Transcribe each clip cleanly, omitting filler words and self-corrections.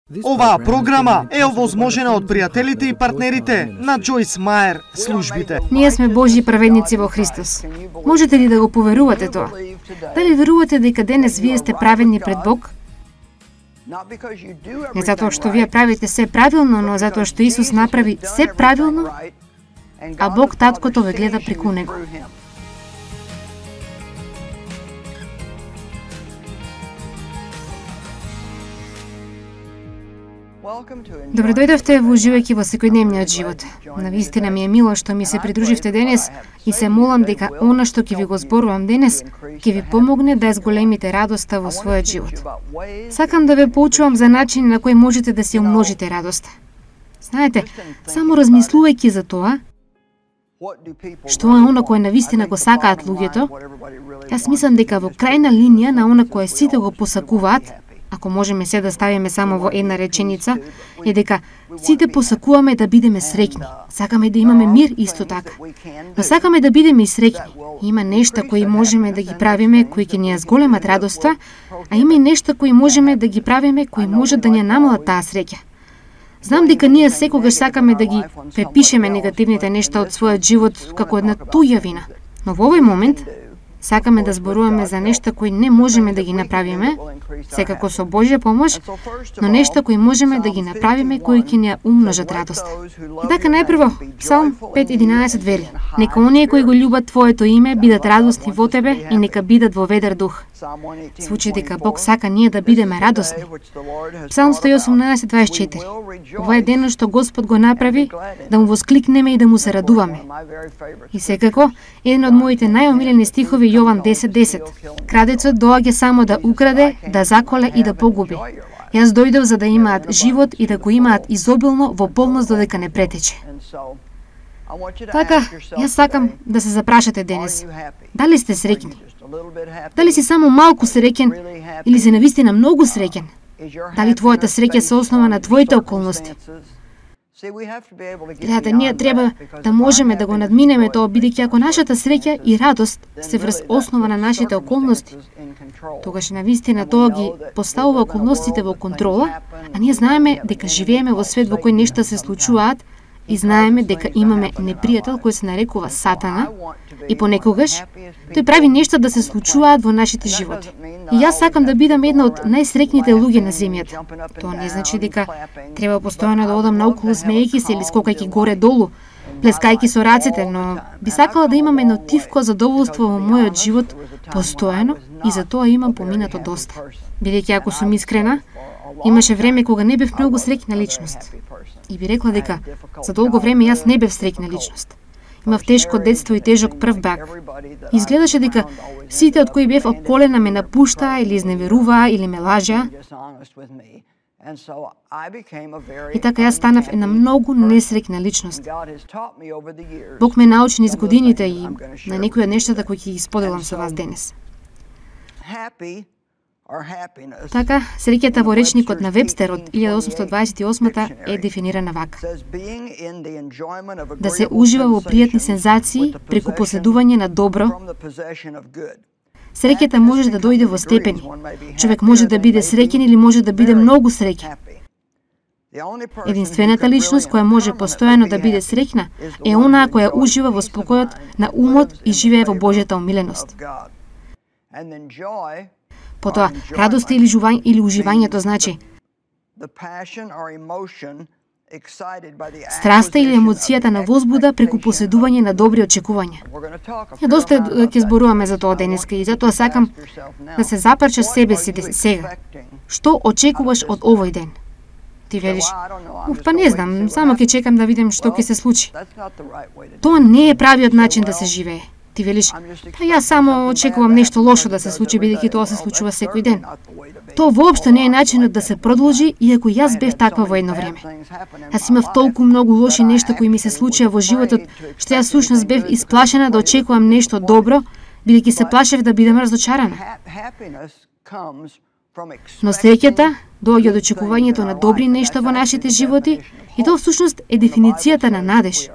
Оваа програма е овозможена од пријателите и партнерите на Джойс Мајер службите. Ние сме Божји праведници во Христос. Можете ли да го поверувате тоа? Дали верувате дека денес вие сте праведни пред Бог? Не затоа што вие правите се правилно, но затоа што Исус направи се правилно, а Бог Таткото ве гледа преку него. Добре дојдовте во уживајќи во секојдневниот живот. Навистина ми е мило што ми се придруживте денес и се молам дека она што ќе ви го зборувам денес ќе ви помогне да зголемите радоста во својот живот. Сакам да ве поучувам за начин на кој можете да си умножите радоста. Знаете, само размислувајќи за тоа, што е она кое навистина го сакаат луѓето, јас мислам дека во крајна линија на она кое сите го посакуваат, ако можеме се да ставиме само во една реченица, е дека сите посакуваме да бидеме среќни. Сакаме да имаме мир исто така. Но сакаме да бидеме и среќни. Има нешта кои можеме да ги правиме, кои ќе ни ја зголемат радоста, а има и нешта кои можеме да ги правиме, кои можат да ни ја намалат таа среќа. Знам дека ние секогаш сакаме да ги препишеме негативните нешта од својот живот како една туја вина. Но во овој момент сакаме да зборуваме за нешта кои не можеме да ги направиме, секако со Божја помош, но нешта кои можеме да ги направиме кои ќе ни ја умножат радоста. И така најпрво, Псалм 5:11 вели: Нека оние кои го љубат Твоето име бидат радосни во Тебе и нека бидат во ведар дух. Звучи дека Бог сака ние да бидеме радосни. Псалм 118:24. Ова е денот што Господ го направи, да му воскликнеме и да му се радуваме. И секако, еден од моите најомилени стихови Јован 10:10. Крадецот доаѓа само да украде, да заколе и да погуби. Јас дојдов за да имаат живот и да го имаат изобилно во полност додека не претече. Така, јас сакам да се запрашате денес. Дали сте среќни? Дали си само малку среќен или си навистина многу среќен? Дали твојата среќа се основа на твоите околности? Гледате, ние треба да можеме да го надминеме тоа, бидејќи ако нашата среќа и радост се врз основа на нашите околности, тогаш навистина тоа ги поставува околностите во контрола, а ние знаеме дека живееме во свет во кој нешта се случуваат и знаеме дека имаме непријател кој се нарекува Сатана и понекогаш тој прави нешта да се случуваат во нашите животи. И јас сакам да бидам една од најсреќните луѓе на земјата. Тоа не значи дека треба постојано да одам наоколу смеејќи се или скокајќи горе-долу, плескајќи со рацете, но би сакала да имам едно тивко задоволство во мојот живот постојано и за тоа имам поминато доста. Бидејќи ако сум искрена, имаше време кога не бев многу среќна личност. И би рекла дека за долго време јас не бев среќна личност. Имав тешко детство и тежок прв брак. Изгледаше дека сите од кои бев околена ме напуштаа или изневеруваа или ме лажеа. И така јас станав една многу несреќна личност. Бог ме научи низ годините и на некои од нештата кои ќе ги споделам со вас денес. Така, среќата во речникот на Вебстер од 1828 е дефинирана вака: да се ужива во пријатни сензации преку поседување на добро. Среќата може да дојде во степени. Човек може да биде среќен или може да биде многу среќен. Единствената личност која може постојано да биде среќна е онаа која ужива во спокојот на умот и живее во Божјата омиленост. Потоа, радоста или уживањето значи страста или емоцијата на возбуда преку поседување на добри очекувања. Доста ќе зборуваме за тоа денеска и затоа сакам да се запрачаш себе си сега. Што очекуваш од овој ден? Ти велиш: па не знам, само ќе чекам да видам што ќе се случи. Тоа не е правиот начин да се живее. Ти велиш: па јас само очекувам нешто лошо да се случи, бидејќи тоа се случува секој ден. Тоа воопшто не е начинот да се продолжи, иако јас бев таква во едно време. Јас имав толку многу лоши нешта кои ми се случија во животот, што јас сушност бев исплашена да очекувам нешто добро, бидејќи се плашев да бидам разочарана. Но среќата доаѓа од очекувањето на добри нешта во нашите животи и тоа всушност е дефиницијата на надеж.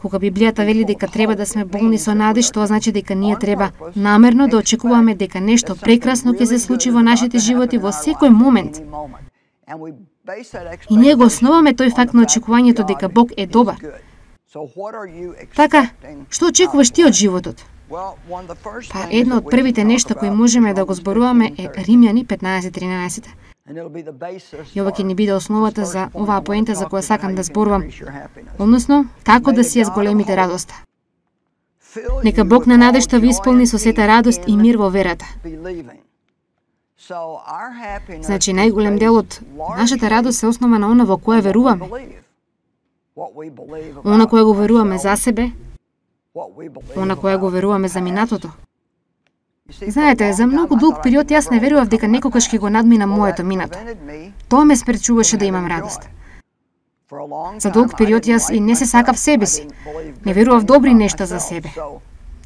Кога Библијата вели дека треба да сме болни со надеж, тоа значи дека ние треба намерно да очекуваме дека нешто прекрасно ќе се случи во нашите животи во секој момент. И ние го основаме тој факт на очекувањето дека Бог е добар. Така, што очекуваш ти од животот? Па едно од првите нешта кои можеме да го зборуваме е Римјани 15:13. И ова ќе ни биде основата за оваа поента за која сакам да зборувам, односно, како да си ја зголемите радоста. Нека Бог на надежта ви исполни со сета радост и мир во верата. Значи, најголем дел од нашата радост се основа на она во кое веруваме. Она кое го веруваме за себе, она кое го веруваме за минатото. Знаете, за многу долг период јас не верував дека некогаш ќе го надминам моето минато. Тоа ме спречуваше да имам радост. За долг период јас и не се сакав себе си. Не верував добри нешта за себе.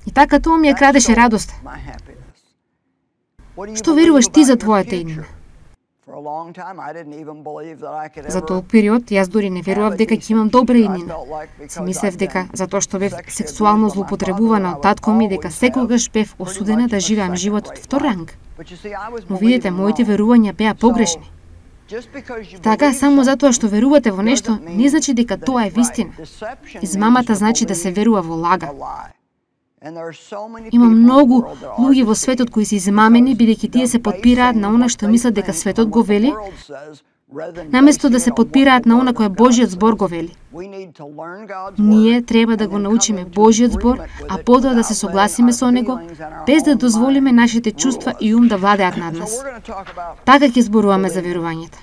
И така тоа ми ја крадеше радост. Што веруваш ти за твојата иднина? За долг период јас дури не верував дека ќе имам добра иднина. Си мислев дека затоа што бев сексуално злоупотребувана од татко ми, дека секогаш бев осудена да живеам живот од втор ранг. Но видите, моите верувања беа погрешни. Така, само затоа што верувате во нешто, не значи дека тоа е вистина. Измамата значи да се верува во лага. Има многу луѓе во светот кои се измамени бидејќи тие се потпираат на она што мислат дека светот го вели, наместо да се потпираат на она кое Божјиот збор го вели. Ние треба да го научиме Божјиот збор, а потоа да се согласиме со него, без да дозволиме нашите чувства и ум да владеат над нас. Така ќе зборуваме за верувањето.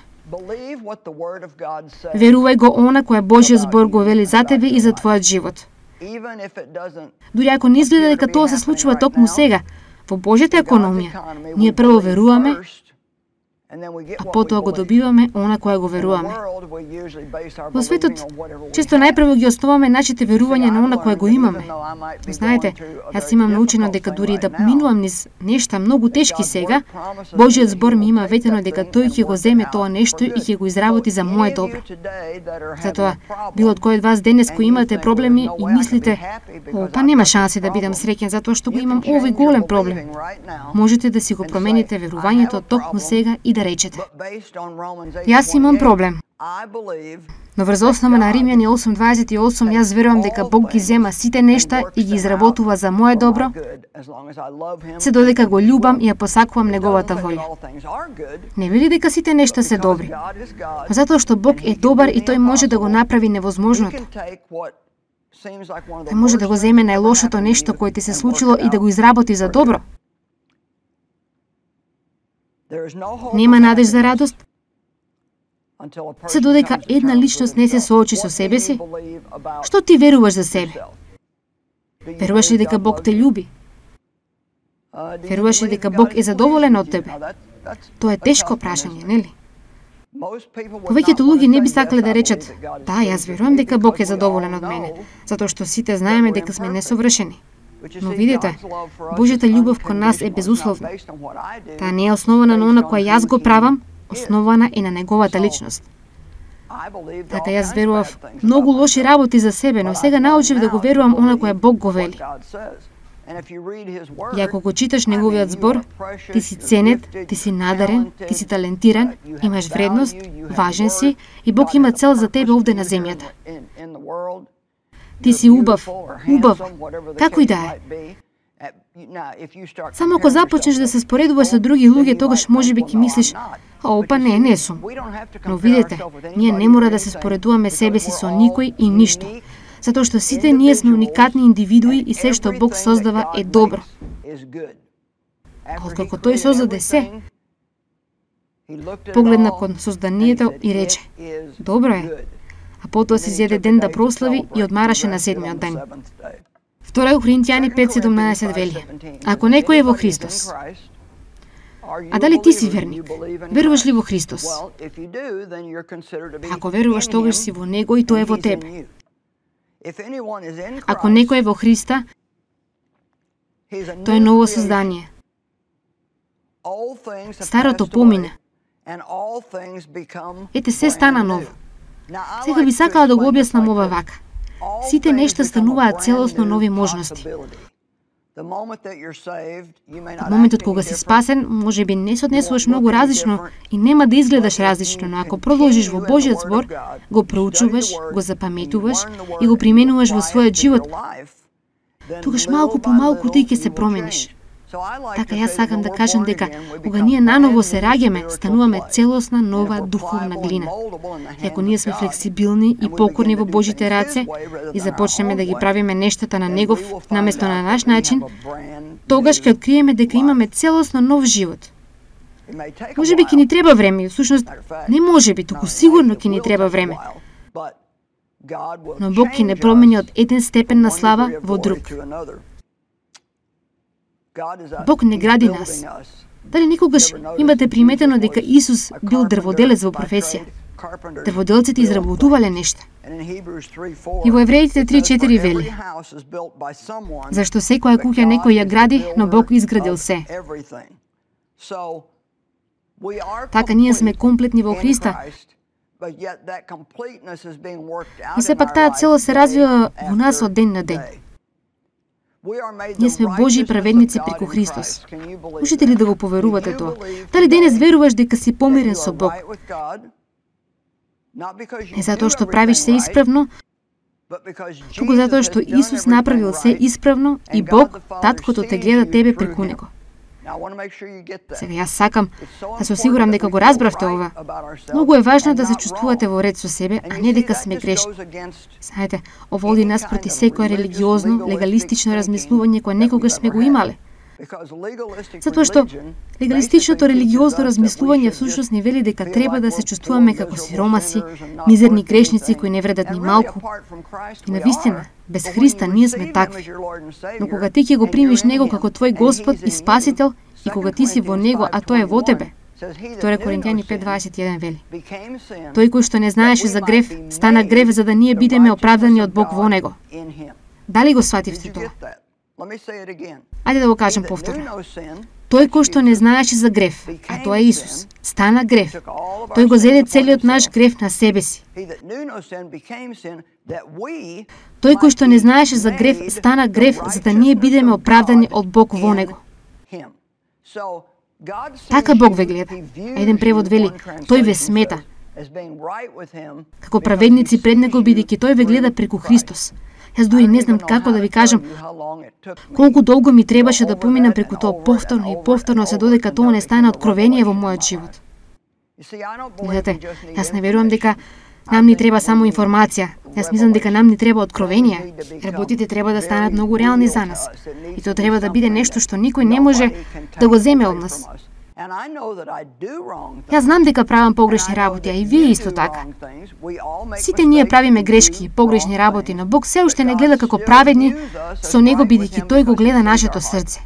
Верувај го она кое Божјиот збор го вели за тебе и за твојот живот. Дури ако не изгледа дека тоа се случува токму сега, во Божјата економија, ние прво веруваме, а потоа го добиваме она кое го веруваме. Во светот, често најпрво ги основаме нашите верувања на она кое го имаме. Знаете, јас имам научено дека дури да минувам низ нешта многу тешки сега, Божјиот збор ми има ветено дека тој ќе го земе тоа нешто и ќе го изработи за мое добро. Затоа, било од кој од вас денес кои имате проблеми и мислите, па нема шанси да бидам среќен затоа што го имам овој голем проблем. Можете да си го промените верувањето токму сега и да речете: јас имам проблем. Но врз основа на Римјани 8:28 јас верувам дека Бог ги зема сите нешта и ги изработува за мое добро, се додека го љубам и ја посакувам неговата волја. Не вели дека сите нешта се добри, затоа што Бог е добар и тој може да го направи невозможното. Тој може да го земе најлошото нешто кое ти се случило и да го изработи за добро. Нема надеж за радост, се додека една личност не се соочи со себе си. Што ти веруваш за себе? Веруваш ли дека Бог те љуби? Веруваш ли дека Бог е задоволен од тебе? Тоа е тешко прашање, нели? Повеќето луѓе не би сакале да речат: да, јас верувам дека Бог е задоволен од мене, затоа што сите знаеме дека сме несовршени. Но видите, Божјата љубов кон нас е безусловна. Таа не е основана на она кое јас го правам, основана е на неговата личност. Така јас верував многу лоши работи за себе, но сега научив да го верувам она кое Бог го вели. И ако го читаш неговиот збор, ти си ценет, ти си надарен, ти си талентиран, имаш вредност, важен си и Бог има цел за тебе овде на земјата. Ти си убав, како и да е. Само ако започнеш да се споредуваш со други луѓе, тогаш можеби ќе мислиш: па не сум. Но видите, ние не мора да се споредуваме себе си со никој и ништо, затоа што сите ние сме уникатни индивидуи и се што Бог создава е добро. Откако тој создаде се, погледна кон созданието и рече: добро е. А потоа си зеде ден да прослави и одмараше на седмиот ден. 2 Коринтијани 5:17 вели: ако некој е во Христос, а дали ти си верник? Веруваш ли во Христос? Ако веруваш, тогаш си во Него и тој е во тебе. Ако некој е во Христа, тој е ново создание. Старото помина. Ете, се стана ново. Сега би сакала да го објаснам ова вака. Сите нешта стануваат целосно нови можности. Од моментот кога си спасен, може би не се однесуваш многу различно и нема да изгледаш различно, но ако продолжиш во Божиот збор, го проучуваш, го запаметуваш и го применуваш во својот живот, тогаш малку по малку ти ќе се промениш. Така јас сакам да кажам дека кога ние наново се раѓаме, стануваме целосна нова духовна глина. И ако ние сме флексибилни и покорни во Божите раце и започнеме да ги правиме нештата на Негов наместо на наш начин, тогаш ќе откриеме дека имаме целосно нов живот. Може би ќе ни треба време, всушност не може би, туку сигурно ќе ни треба време. Но Бог ќе не промени од еден степен на слава во друг. Бог не гради нас. Дали некогаш имате приметено дека Исус бил дрводелец во професија? Дрводелците изработувале нешта. И во Евреите 3:4 вели: зашто секоја куќа некој ја гради, но Бог изградил се. Така ние сме комплетни во Христа. И сепак таа цела се развива во нас од ден на ден. Ние сме Божји праведници преку Христос. Можете ли да го поверувате тоа? Дали денес веруваш дека си помирен со Бог? Не затоа што правиш се исправно, туку затоа што Исус направил се исправно и Бог, Таткото, те гледа тебе преку него. Сега јас сакам да се осигурам дека го разбравте ова. Многу е важно да се чувствувате во ред со себе, а не дека сме грешни. Знаете, ова оди наспроти секое религиозно, легалистично размислување кое некогаш сме го имале. Затоа што легалистичното религиозно размислување всушност ни вели дека треба да се чувствуваме како сиромаси, мизерни грешници кои не вредат ни малку. И навистина, без Христа ние сме такви. Но кога ти ќе го примиш Него како твој Господ и Спасител, и кога ти си во Него, а Тој е во тебе, 2 Коринтијани 5:21 вели: тој кој што не знаеше за грев, стана грев за да ние бидеме оправдани од Бог во Него. Дали го свативте тоа? Ајде да го кажем повторно. Тој кој што не знаеше за грев, а тоа е Исус, стана грев. Тој го зеде целиот наш грев на себе си. Тој кој што не знаеше за грев, стана грев за да ние бидеме оправдани од Бог во Него. Така Бог ве гледа. Еден превод вели: тој ве смета како праведници пред Него, бидејќи тој ве гледа преку Христос. Јас дури не знам како да ви кажам колку долго ми требаше да поминам преку тоа повторно и повторно се додека тоа не стане откровение во мојот живот. Видете, јас не верувам дека нам ни треба само информација. Јас мислам дека нам ни треба откровение. Работите треба да станат многу реални за нас. И тоа треба да биде нешто што никој не може да го земе од нас. Јас знам дека правам погрешни работи, а и вие исто така. Сите ние правиме грешки и погрешни работи, но Бог се уште не гледа како праведни со Него, бидејќи Тој го гледа нашето срце.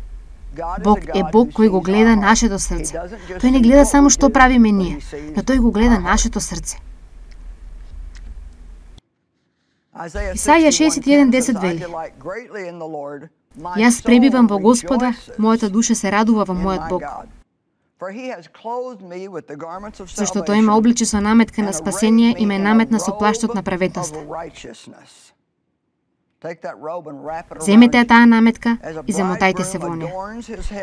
Бог е Бог кој го гледа нашето срце. Тој не гледа само што правиме ние, но Тој го гледа нашето срце. Исаја 61:10 вели: јас пребивам во Господа, мојата душа се радува во мојот Бог. Зашто тој ме обличи со наметка на спасение и ме наметна со плаштот на праведноста. Земете таа наметка и замотајте се во неа.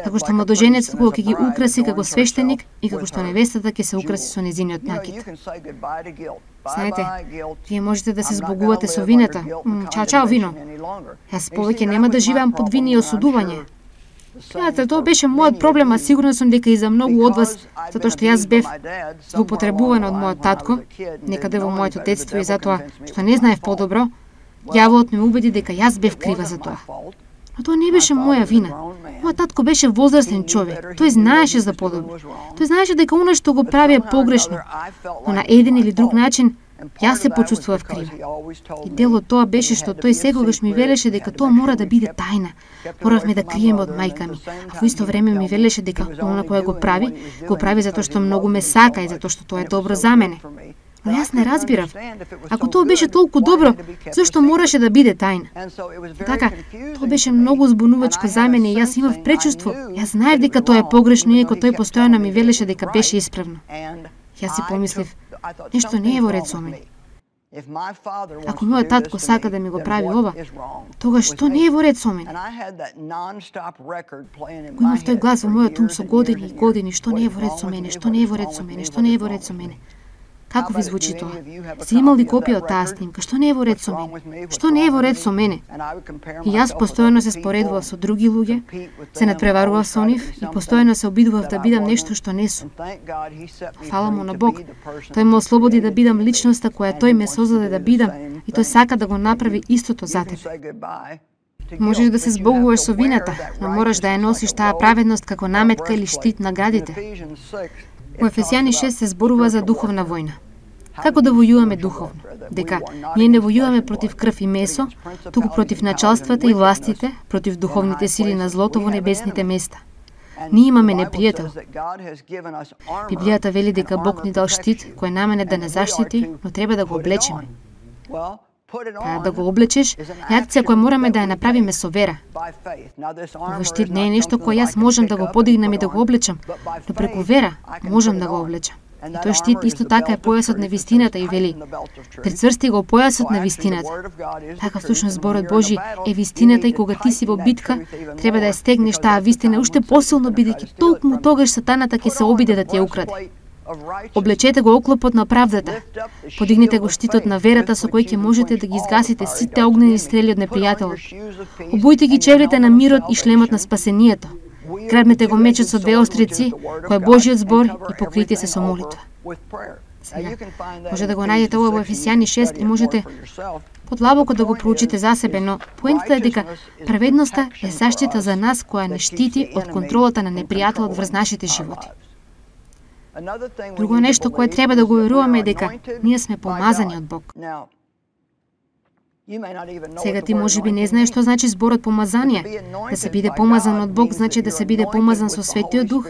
Како што младоженецот кога ќе ги украси како свештеник и како што невестата ќе се украси со незиниот накид. Знаете, вие можете да се збогувате со вината. Чао, вино. Јас повеќе нема да живеам под вини и осудување. Гледате, тоа беше мојот проблем, а сигурно сум дека и за многу од вас, затоа што јас бев злоупотребуван од мојот татко, некаде во моето детство, и затоа што не знаев подобро, ѓаволот ме убеди дека јас бев крива за тоа. Но тоа не беше моја вина. Мојот татко беше возрастен човек. Тој знаеше за подобро. Тој знаеше дека она што го прави е погрешно. Но на еден или друг начин јас се почувствував крива. И дел од тоа беше што тој секогаш ми велеше дека тоа мора да биде тајна. Моравме да криеме од мајка ми. А во исто време ми велеше дека она кое го прави затоа што многу ме сака и затоа што тоа е добро за мене. Но јас не разбирав. Ако тоа беше толку добро, зашто мораше да биде тајна? Така, тоа беше многу збунувачко за мене и јас имав пречувство. Јас знаев дека тоа е погрешно, иако тој постојано ми велеше дека беше исправно. Јас си помислив, нешто не е во ред со мене. Ако мојот татко сака да ми го прави ова, тогаш што не е во ред со мене? Го имав тој глас во мојот ум со години и години, што не е во ред со мене, што не е во ред со мене, што не е во ред со мене. Како ви звучи тоа? Си имал ли копија од таа снимка? Што не е во ред со мене? Што не е во ред со мене? И јас постојано се споредував со други луѓе, се надпреварував со нив и постојано се обидував да бидам нешто што не сум. Фала му на Бог. Тој ме ослободи да бидам личноста која тој ме создаде да бидам и тој сака да го направи истото за тебе. Можеш да се збогуваш со вината, но мораш да ја носиш таа праведност како наметка или штит на градите. Во Ефесијани 6 се зборува за духовна војна. Како да војуваме духовно? Дека ние не војуваме против крв и месо, туку против началствата и властите, против духовните сили на злото во небесните места. Ние имаме непријател. Библијата вели дека Бог ни дал штит кој намене да не заштити, но треба да го облечеме. Да го облечеш е акција која мораме да ја направиме со вера. Овој штит не е нешто кој јас можам да го подигнам и да го облечам, но преку вера можам да го облечам. И тој штит исто така е појасот на вистината и вели: прицврсти го појасот на вистината. Така всушност зборот Божи е вистината и кога ти си во битка, треба да ја стегнеш таа вистина уште посилно бидејќи толку тогаш сатаната ќе се обиде да ти ја украде. Облечете го оклопот на правдата. Подигнете го штитот на верата со кој ќе можете да ги изгасите сите огнени стрели од непријателот. Обујте ги чевлите на мирот и шлемот на спасението. Грабнете го мечот со две острици, кој е Божиот збор, и покрите се со молитва. Сега, може да го најдете ова во Ефесијани 6 и можете подлабоко да го проучите за себе, но поентата е дека праведноста е заштита за нас која не штити од контролата на непријателот врз нашите животи. Друго нешто кое треба да го веруваме е дека ние сме помазани од Бог. Сега ти можеби не знаеш што значи зборот помазание. Да се биде помазан од Бог значи да се биде помазан со Светиот Дух.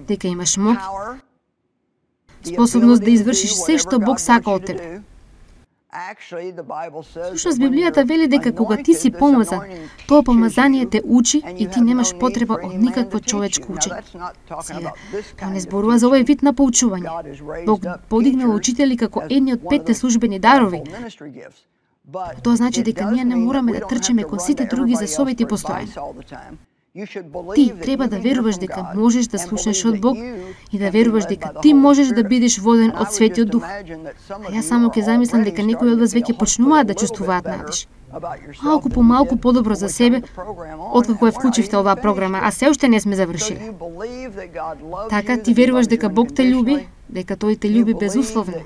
Дека имаш моќ, способност да извршиш се што Бог сака од тебе. Всушност Библијата вели дека кога ти си помазан, тоа помазание те учи и ти немаш потреба од никакво човечко учење. Сега, тоа не зборува за овој вид на поучување. Бог подигнал учители како едни од 5 службени дарови. Тоа значи дека ние не мораме да трчеме кон сите други за своите постојање. Ти треба да веруваш дека можеш да слушнеш од Бог и да веруваш дека ти можеш да бидеш воден од Светиот Дух. А јас само ќе замислам дека некои од вас веќе почнуваат да чувствуваат надеж. Малку по малку подобро за себе, откако ја вклучивте оваа програма, а се уште не сме завршиле. Така, ти веруваш дека Бог те љуби, дека Тој те љуби безусловно.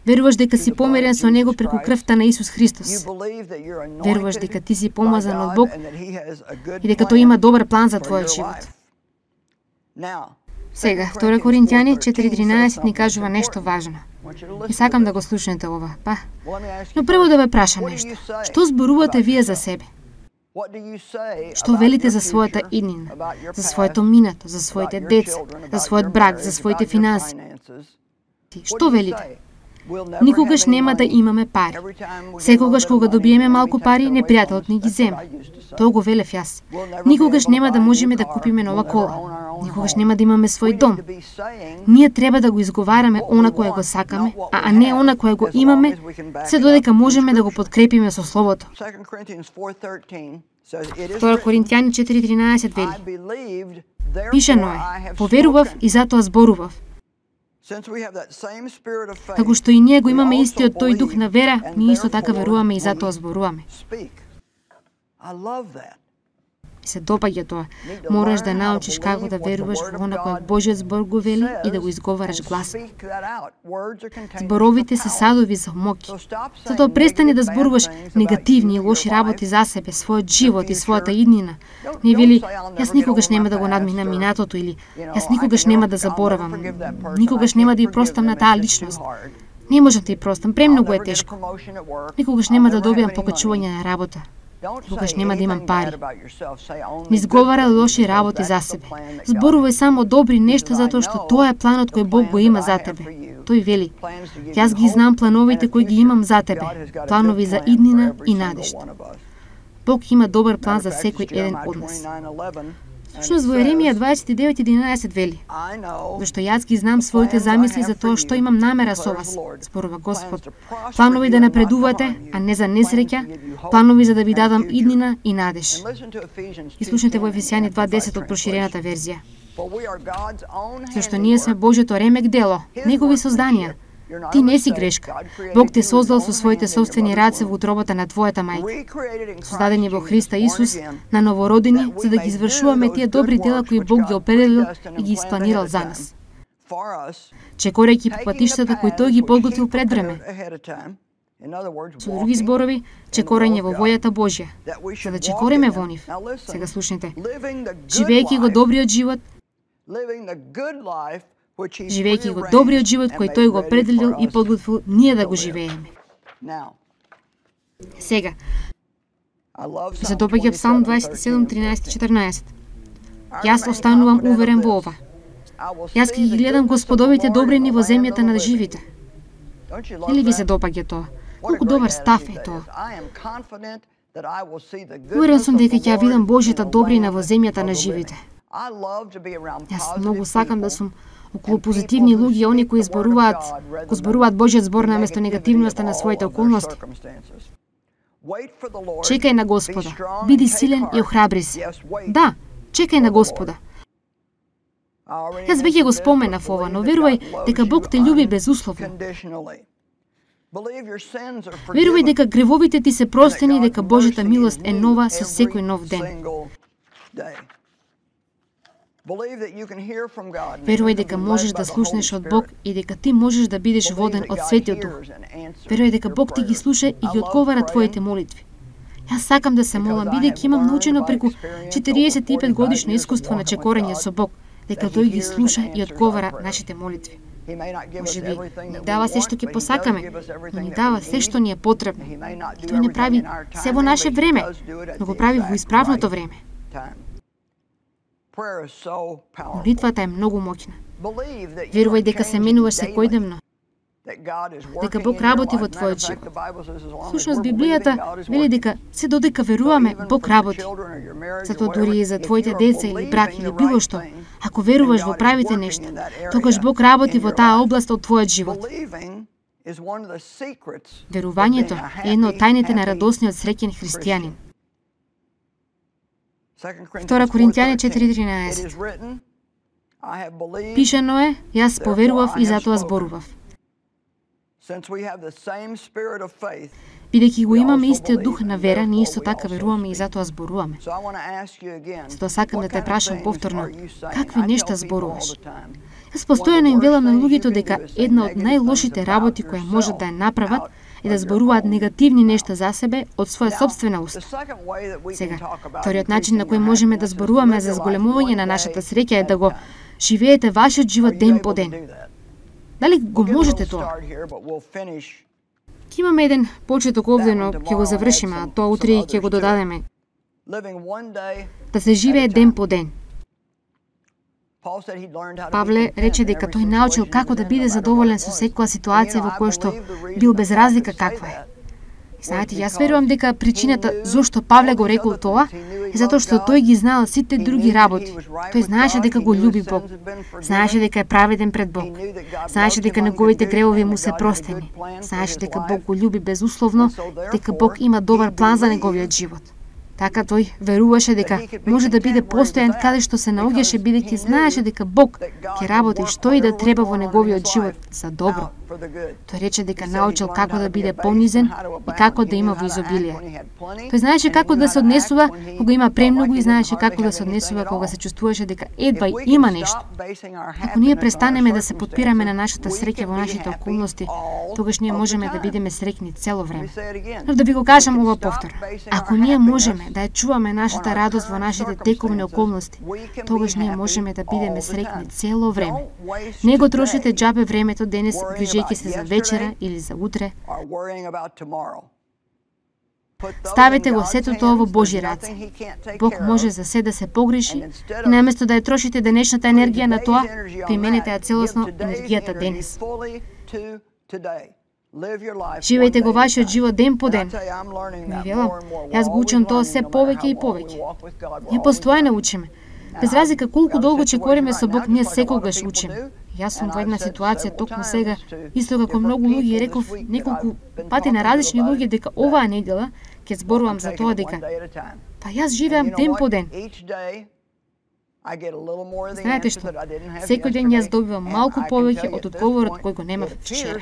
Веруваш дека си помирен со Него преку крвта на Исус Христос. Веруваш дека ти си помазан од Бог и дека Тој има добар план за твојот живот. Сега, 2 Коринтијани 4:13 ни кажува нешто важно. И сакам да го слушнете ова, па. Но прво да ве прашам нешто. Што зборувате вие за себе? Што велите за својата иднина, за своето минато, за своите деца, за својот брак, за своите финанси? Што велите? Никогаш нема да имаме пари. Секогаш кога добиеме малку пари, непријателот ни ги зема. Тоа го велев јас. Никогаш нема да можеме да купиме нова кола. Никогаш нема да имаме свој дом. Ние треба да го изговараме она кое го сакаме, а не она кое го имаме, се додека можеме да го подкрепиме со Словото. 2 Коринтијани 4:13 вели: Пишано е, поверував и затоа зборував. Како што и ние го имаме истиот тој дух на вера, ние исто така веруваме и затоа зборуваме. И се допаѓа тоа. Мораш да научиш како да веруваш во она кое Божиот збор го вели и да го изговараш гласно. Зборовите се садови за моќ. Затоа престани да зборуваш негативни и лоши работи за себе, својот живот и својата иднина. Не вели, јас никогаш нема да го надминам минатото или јас никогаш нема да заборавам, никогаш нема да ја простам на таа личност. Не можам да ја простам, премногу е тешко. Никогаш нема да добијам покачување на работа. Никогаш нема да имам пари. Не изговара лоши работи за себе. Зборувај само добри нешта затоа што тоа е планот кој Бог го има за тебе. Тој вели: Јас ги знам плановите кои ги имам за тебе, планови за иднина и надежда. Бог има добар план за секој еден од нас. Всушност во Еремија 29:11 вели: Зашто јас ги знам своите замисли за тоа што имам намера со вас, зборува Господ. Планови да напредувате, а не за несреќа, планови за да ви дадам иднина и надеж. И слушнете во Ефесијани 2:10 од проширената верзија. Зашто ние сме Божјото ремек дело, негови созданија. Ти не си грешка. Бог те создал со своите собствени раце во утробата на твојата мајка. Создадени во Христа Исус, на новородени, за да ги извршуваме тие добри дела кои Бог ги определил и ги испланирал за нас. Чекорејќи по патиштата кои тој ги подготвил пред време. Со други зборови, чекорење во војата Божја, за да чекориме во нив. Сега слушнете. Живејќи го добриот живот, живејќи го добриот живот кој тој го определил и подготвил ние да го живееме. Сега, се допаѓа Псалм 27:13-14. Јас останувам уверен во ова. Јас ќе ги гледам Господовите добрини во земјата на живите. Или ви се допаѓа тоа? Колку добар став е тоа? Уверен сум дека ќе ја видам Божјата добрина во земјата на живите. Јас многу сакам да сум околу позитивни луѓе, они кои го зборуваат Божјиот збор наместо негативноста на своите околности. Чекај на Господа, биди силен и охрабри се. Да, чекај на Господа. Јас веќе го споменав ова, но верувај дека Бог те љуби безусловно. Верувај дека гревовите ти се простени и дека Божјата милост е нова со секој нов ден. Верувај дека можеш да слушнеш од Бог и дека ти можеш да бидеш воден од Светиот Дух. Верувај дека Бог ти ги слуша и ги одговара твоите молитви. Јас сакам да се молам, бидејќи имам научено преку 45 годишно искуство на чекорење со Бог, дека тој ги слуша и одговара нашите молитви. Може би не дава се што ќе посакаме, но ни дава се што ни е потребно. И тој не прави се во наше време, но го прави во исправното време. Молитвата е многу моќна. Верувај дека се менуваш секојдневно, дека Бог работи во твојот живот. Всушност Библијата вели дека се додека веруваме, Бог работи. Затоа дури и за твоите деца или брак или било што, ако веруваш во правите нешта, тогаш Бог работи во таа област од твојот живот. Верувањето е една од тајните на радосниот среќен христијанин. 2 Коринтијани 4:13. Пишано е, јас поверував и затоа зборував. Бидејќи го имаме истиот дух на вера, ние исто така веруваме и затоа зборуваме. Затоа сакам да те прашам повторно, какви нешта зборуваш? Јас постојано им велам на луѓето дека една од најлошите работи која можат да ја направат е да зборуваат негативни нешта за себе од своја собствена уста. Сега, вториот начин на кој можеме да зборуваме за зголемување на нашата среќа е да го живеете вашиот живот ден по ден. Дали го можете тоа? Ќе имаме еден почеток овде, но ќе го завршиме, а тоа утре ќе го додадеме. Да се живее ден по ден. Павле рече дека тој научил како да биде задоволен со секоја ситуација во која што бил без разлика каква е. Знаете, јас верувам дека причината зошто Павле го рекол тоа е затоа што тој ги знаел сите други работи. Тој знаеше дека го љуби Бог. Знаеше дека е праведен пред Бог. Знаеше дека неговите гревови му се простени. Знаеше дека Бог го љуби безусловно, дека Бог има добар план за неговиот живот. Така тој веруваше дека може да биде постојан каде што се наоѓаше, бидејќи знаеше дека Бог ќе работи што и да треба во неговиот живот за добро. Тој рече дека научил како да биде понизен и како да има во изобилие. Тој знаеше како да се однесува кога има премногу и знаеше како да се однесува кога се чувствуваше дека едва има нешто. Ако ние престанеме да се подпираме на нашата среќа во нашите околности, тогаш ние можеме да бидеме среќни цело време. Но да ви го кажам ова повторно. Ако ние можеме да ја чуваме нашата радост во нашите тековни околности, тогаш ние можеме да бидеме среќни цело време. Не го трошите џабе времето денес грижејќи се за вечера или за утре. Ставете го сето тоа во Божји раце. Бог може за се да се погреши и наместо да ја трошите денешната енергија на тоа, применете ја целосно енергијата денес. Живејте го вашиот живот ден по ден. Ви велам, јас го учам тоа се повеќе и повеќе. Ние постојано учиме. Без разлика колку долго чекориме со Бог, ние секогаш учиме. Јас сум во една ситуација токму сега, исто како многу луѓе, реков неколку пати на различни луѓе дека оваа недела ќе зборувам за тоа дека па јас живеам ден по ден. Знаете што? Секој ден јас добивам малку повеќе од одговорот кој го немав вчера.